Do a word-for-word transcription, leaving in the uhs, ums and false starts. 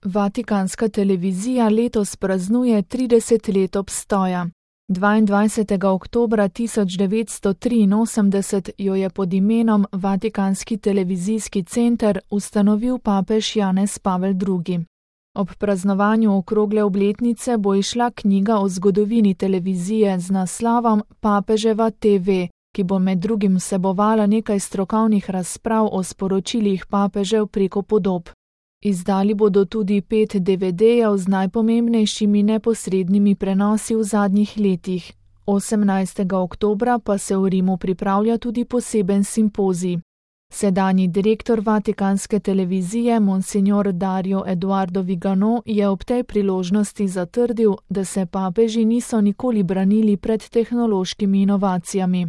Vatikanska televizija letos praznuje trideset let obstoja. dvaindvajsetega oktobra tisoč devetsto triinosemdeset jo je pod imenom Vatikanski televizijski center ustanovil papež Janez Pavel drugi. Ob praznovanju okrogle obletnice bo izšla knjiga o zgodovini televizije z naslovom Papeževa te ve, ki bo med drugim vsebovala nekaj strokovnih razprav o sporočilih papežev preko podob. Izdali bodo tudi pet de ve dejev z najpomembnejšimi neposrednimi prenosi v zadnjih letih. osemnajstega oktobra pa se v Rimu pripravlja tudi poseben simpozij. Sedanji direktor Vatikanske televizije, monsignor Dario Eduardo Vigano, je ob tej priložnosti zatrdil, da se papeži niso nikoli branili pred tehnološkimi inovacijami.